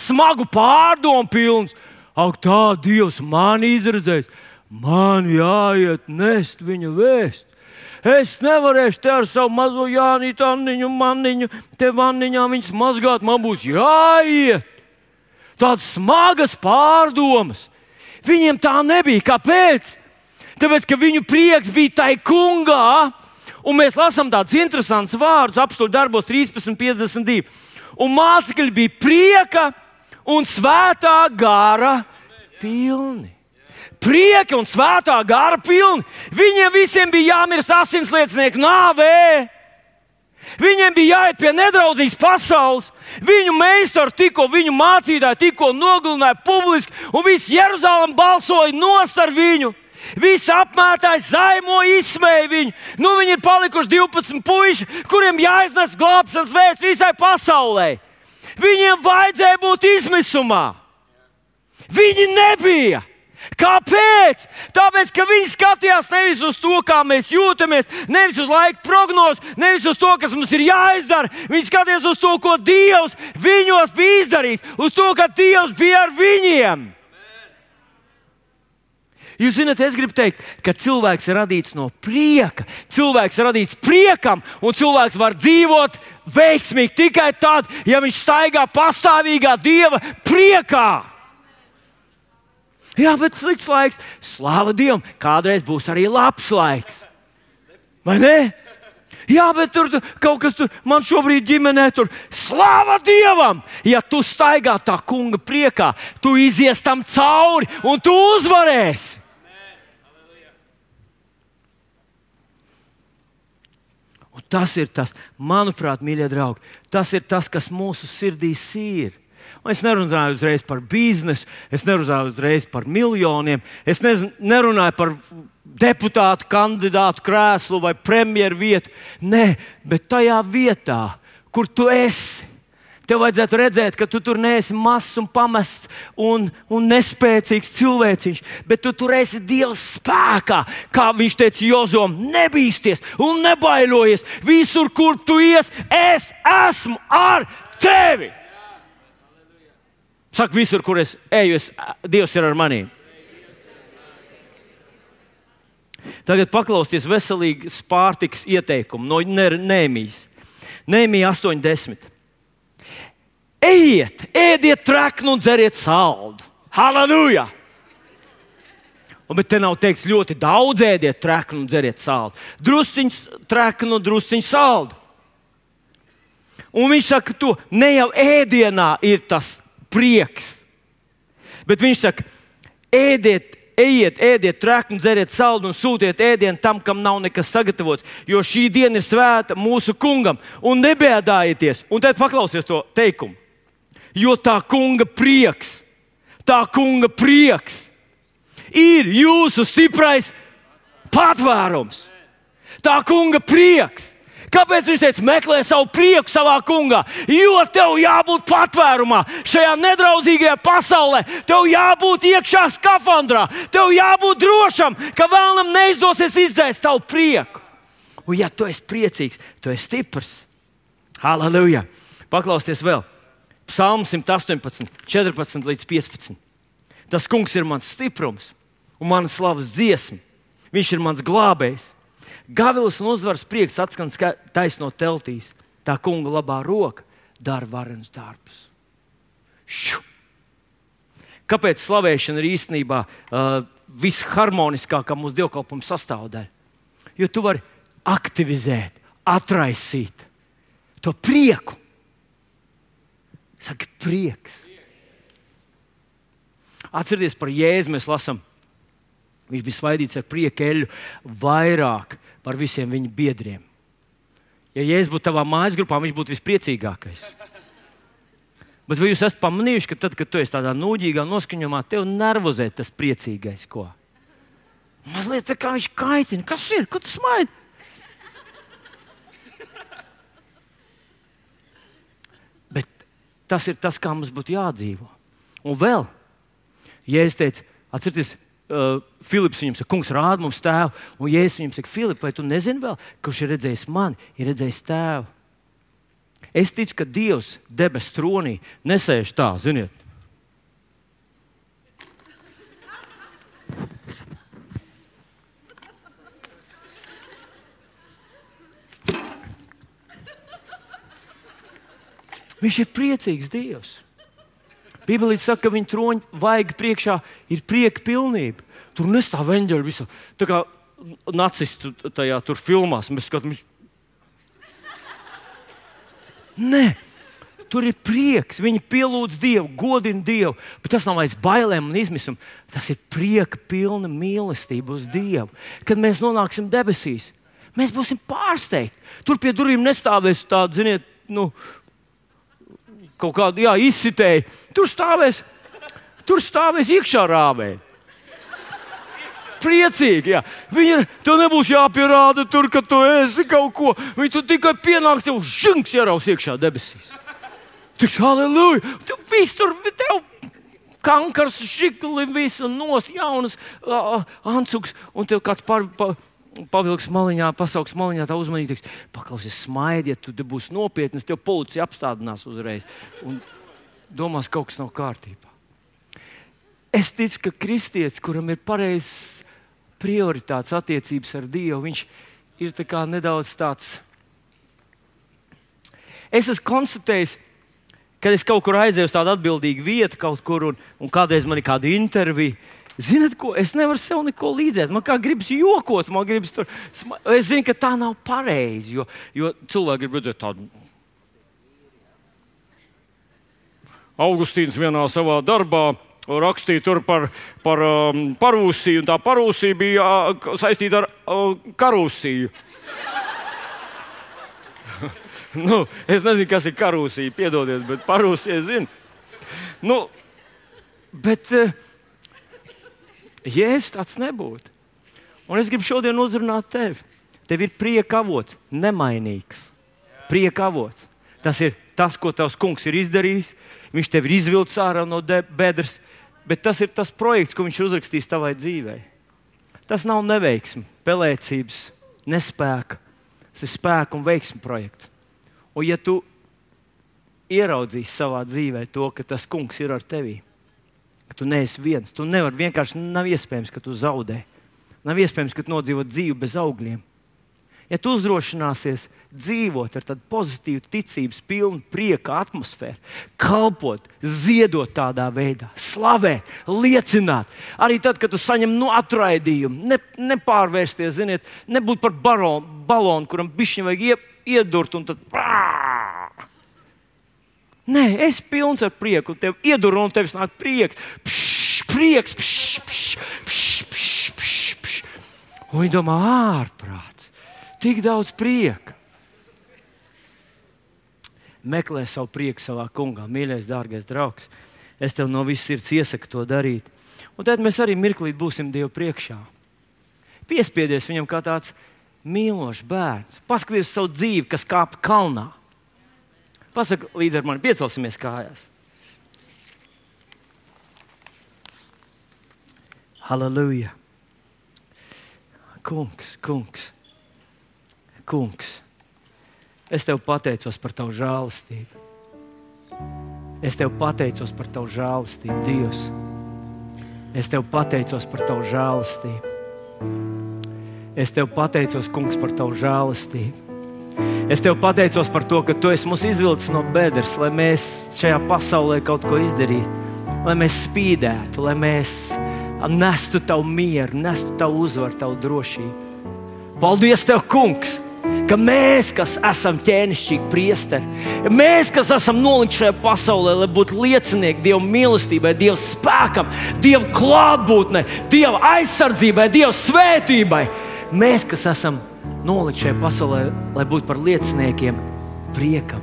smagu pārdomu pilns. Ak, tā Dievs mani izredzējis, man jāiet nest viņa vēst. Es nevarēšu te ar savu mazo Jānītu, Anniņu, Manniņu, te vanniņā viņas mazgāt, man būs jāiet. Tādas smagas pārdomas. Viņiem tā nebija. Kāpēc? Tāpēc, ka viņu prieks bija tai kungā, un mēs lasām tādus interesantus vārdus, apstuļu darbos 13:52. Un mācekļi bija prieka un svētā gara pilni. Prieka un svētā gara pilni. Viņiem visiem bija jāmirst asinsliecinieku nāvē. Viņiem bija jāiet pie nedraudzīgas pasaules. Viņu meistari tikko, viņu mācītāji tikko nogalināja publiski, un viss Jeruzalem balsoja nost ar viņu. Visi apmētāji zaimoja, izsmēja viņu. Nu, viņi ir palikuši 12 puiši, kuriem jāiznes glābšanas vēsts visai pasaulē. Viņiem vajadzēja būt izmisumā. Viņi nebija. Kāpēc? Tāpēc, ka viņi skatījās nevis uz to, kā mēs jūtamies, nevis uz laika prognozi, nevis uz to, kas mums ir jāizdara. Viņi skatījās uz to, ko Dievs viņos bija izdarījis, uz to, ka Dievs bija ar viņiem. Jūs zināt, es gribu teikt, ka cilvēks ir radīts no prieka. Cilvēks ir radīts priekam, un cilvēks var dzīvot veiksmīgi tikai tad, ja viņš staigā pastāvīgā Dieva priekā. Jā, bet slikts laiks. Slāva Dievam, kādreiz būs arī labs laiks. Vai ne? Jā, bet tur kaut kas tur, man šobrīd ģimenē tur. Slāva Dievam! Ja tu staigā tā kunga priekā, tu izies tam cauri un tu uzvarēsi. Un tas ir tas, manuprāt, mīļie draugi, tas ir tas, kas mūsu sirdīs ir. Un es nerunāju uzreiz par biznesu, es nerunāju uzreiz par miljoniem, es nerunāju par deputātu kandidātu krēslu vai premjeru vietu. Nē, bet tajā vietā, kur tu esi, tev vajadzētu redzēt, ka tu tur neesi mazs un pamests un nespēcīgs cilvēciņš, bet tu tur esi Dieva spēkā. Kā viņš teica Jozom, nebīsties un nebailojies. Visur, kur tu ies, es esmu ar tevi. Saka, visur, kur es eju, Dievs ir ar maniem. Tagad paklausieties veselīgas pārtikas ieteikumu no Nehemijas. Nehemija 8:10. Ejiet, ēdiet treknu un dzeriet saldu. Halleluja! Bet te nav teikts ļoti daudz ēdiet treknu un dzeriet saldu. Drusciņš treknu un drusciņš saldu. Un viņš saka, to ne jau ēdienā ir tas prieks. Bet viņš saka, ejiet, ēdiet treknu, dzeriet saldu un sūtiet ēdienu tam, kam nav nekas sagatavots, jo šī diena ir svēta mūsu kungam. Un nebēdājieties. Un tad paklausies to teikumu. Jo tā kunga prieks ir jūsu stiprais patvērums. Tā kunga prieks. Kāpēc viņš teica, meklē savu prieku savā kungā? Jo tev jābūt patvērumā šajā nedraudzīgajā pasaulē. Tev jābūt iekšā skafandrā. Tev jābūt drošam, ka vēlam neizdosies izdzēst tavu prieku. Un ja tu esi priecīgs, tu esi stiprs. Halleluja! Paklausieties vēl. Psalms 118, 14 līdz 15. Tas kungs ir mans stiprums un mana slavas dziesma. Viņš ir mans glābējs. Gavilis un uzvaras prieks atskan taisno teltīs. Tā kunga labā roka dara varenus darbus. Kāpēc slavēšana ir īstenībā visharmoniskākā mūsu dievkalpojuma sastāvdaļa? Jo tu vari aktivizēt, atraisīt to prieku. Saka, prieks. Atcerieties par Jēzu, mēs lasām. Viņš bija svaidīts ar prieku eļļu vairāk par visiem viņa biedriem. Ja Jēzus būtu tavā mājas grupā, viņš būtu vispriecīgākais. Bet vai jūs esat pamanījuši, ka tad, kad tu esi tādā nūģīgā noskaņojumā, tev nervozē tas priecīgais, ko? Mazliet tā kā viņš kaitina. Kas ir? Ko tu smaidi? Bet tas ir tas, kā mums būtu jādzīvo. Un vēl, Jēzus teica, atcerieties, Filips viņam saka, kungs, rāda mums tēvu. Un Jēzus viņam saka, Filip, vai tu nezini vēl, kurš ir redzējis mani, ir redzējis tēvu? Es ticu, ka Dievs debes tronī nesēž tā, ziniet. Viņš ir priecīgs Dievs. Bībelē saka, ka viņa troņa vaiga priekšā ir prieka pilnība. Tur nestāv eņģeļi visu. Tā kā nacistu tajā tur filmās. Mēs skatāmies. Nē, tur ir prieks. Viņi pielūdz Dievu, godina Dievu. Bet tas nav aiz bailēm un izmisumu. Tas ir prieka pilna mīlestība uz Dievu. Kad mēs nonāksim debesīs, mēs būsim pārsteigti. Tur pie durvīm nestāvēs tādu, ziniet, kaut kādu izsitēju. Tur stāvēs iekšā rāvēji. Priecīgi, jā. Tev nebūs jāpierāda tur, ka tu esi kaut ko. Viņi tu tikai pienāks, tev žunks ieraus iekšā debesīs. Tiks, halleluja! Tev kankars, šikli, visu nos, jaunas ancuks, un tev kāds pavilks maliņā, pasauks maliņā, tā uzmanīgi teiks, paklausies, smaidiet, tu te būs nopietnas, tev policija apstādinās uzreiz un domās, kaut kas nav kārtībā. Es ticu, ka kristietis, kuram ir pareizs prioritātes attiecības ar Dievu, viņš ir tā kā nedaudz tāds. Es esmu konstatējis, kad es kaut kur aizēju uz tādu atbildīgu vietu kaut kur un kādreiz man ir kāda intervija. Ziniet, ko? Es nevaru sev neko līdzēt. Man kā gribas jokot, man gribas tur. Es zinu, ka tā nav pareizi, jo cilvēki grib redzēt tādu. Augustīns vienā savā darbā rakstīja tur par parūsiju, un tā parūsija bija saistīta ar karūsiju. Es nezinu, kas ir karūsija, piedodiet, bet parūsija zinu. Bet Jēzus tāds nebūtu. Un es gribu šodien uzrunāt tevi. Tev ir prieka avots, nemainīgs. Prieka avots. Tas ir tas, ko tavs kungs ir izdarījis. Viņš tev ir izvilcis ārā no bedres, bet tas ir tas projekts, ko viņš ir uzrakstījis tavai dzīvei. Tas nav neveiksme, pelēcības, nespēka. Tas ir spēka un veiksme projekts. Un ja tu ieraudzīsi savā dzīvē to, ka tas kungs ir ar tevi, ka tu neesi viens, tu nevari vienkārši, nav iespējams, ka tu zaudē. Nav iespējams, ka tu nodzīvo dzīvi bez augļiem. Ja tu uzdrošināsies dzīvot ar tādu pozitīvu, ticības pilnu, prieka atmosfēru, kalpot, ziedot tādā veidā, slavēt, liecināt, arī tad, kad tu saņem atraidījumu, nepārvērsties, ziniet, nebūt par balonu, kuram bišķiņ vajag iedurt un tad. Nē, es pilns ar prieku, un tev iedur un tevis nāk prieks. Prieks. Un viņi domā, ārprāts. Tik daudz prieka. Meklē savu prieku savā kungā, mīļais, dārgais draugs. Es tev no visas sirds iesaku to darīt. Un tad mēs arī mirklīt būsim Dievu priekšā. Piespiedies viņam kā tāds mīlošs bērns. Paskaties savu dzīvi, kas kāp kalnā. Pasaka līdz ar mani, piecelsimies kājās. Halleluja. Kungs. Es tev pateicos par tavu žēlastību. Es tev pateicos par tavu žēlastību, Dievs. Es tev pateicos par tavu žēlastību. Es tev pateicos, kungs, par tavu žēlastību. Es tev pateicos par to, ka tu esi mūs izvilcis no bedres, lai mēs šajā pasaulē kaut ko izdarītu, lai mēs spīdētu, lai mēs nestu tavu mieru, nestu tavu uzvaru, tavu drošību. Paldies tev, kungs, ka mēs, kas esam ķēnišķīgi priesteri, mēs, kas esam nolikti šajā pasaulē, lai būtu liecinieki Dieva mīlestībai, Dieva spēkam, Dieva klātbūtnei, Dieva aizsardzībai, Dieva svētībai. Mēs, kas esam nolikti šajā pasaulē, lai būtu par lieciniekiem priekam.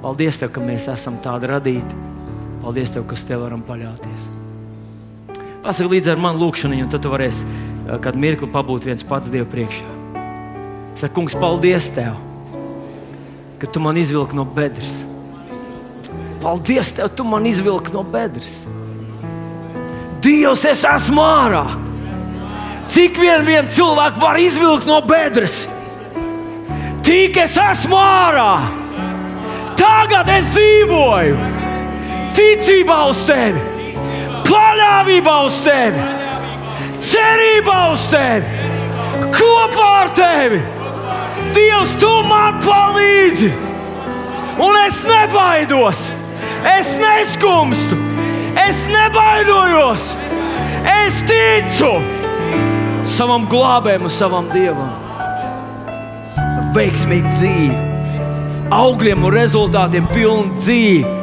Paldies tev, ka mēs esam tādi radīti. Paldies tev, ka uz tevi varam paļauties. Pasaka līdz ar mani lūkšanu, un tad tu varēsi kādu mirkli pabūt viens pats Dievu priekšā. Saka, kungs, paldies tev, ka tu man izvilki no bedres. Paldies tev, tu man izvilki no bedres. Dievs, es esmu ārā. Cik vien cilvēku var izvilkt no bedres? Tik es esmu ārā. Tagad es dzīvoju ticībā uz tevi, paļāvībā uz tevi, cerībā uz tevi, kopā ar tevi. Dievs, tu man palīdzi. Un es nebaidos, es neskumstu, es nebaidojos. Es ticu savam glābējam un savam Dievam. Veiksmīgu dzīvi, augļiem un rezultātiem pilnu dzīvi,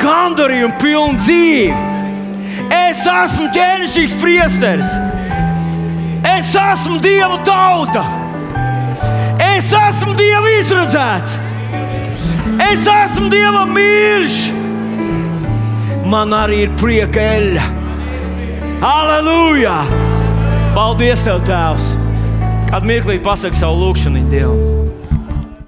gandarījumu pilnu dzīvi. Es esmu ķēnišķīgs priesteris. Es esmu Dieva tauta. Es esmu Dieva izredzēts. Es esmu Dieva mīļš. Man arī ir prieka eļļa. Halleluja! Paldies Tev, Tēvs! Kādu mirklī pasaki savu lūgšanu Dievam.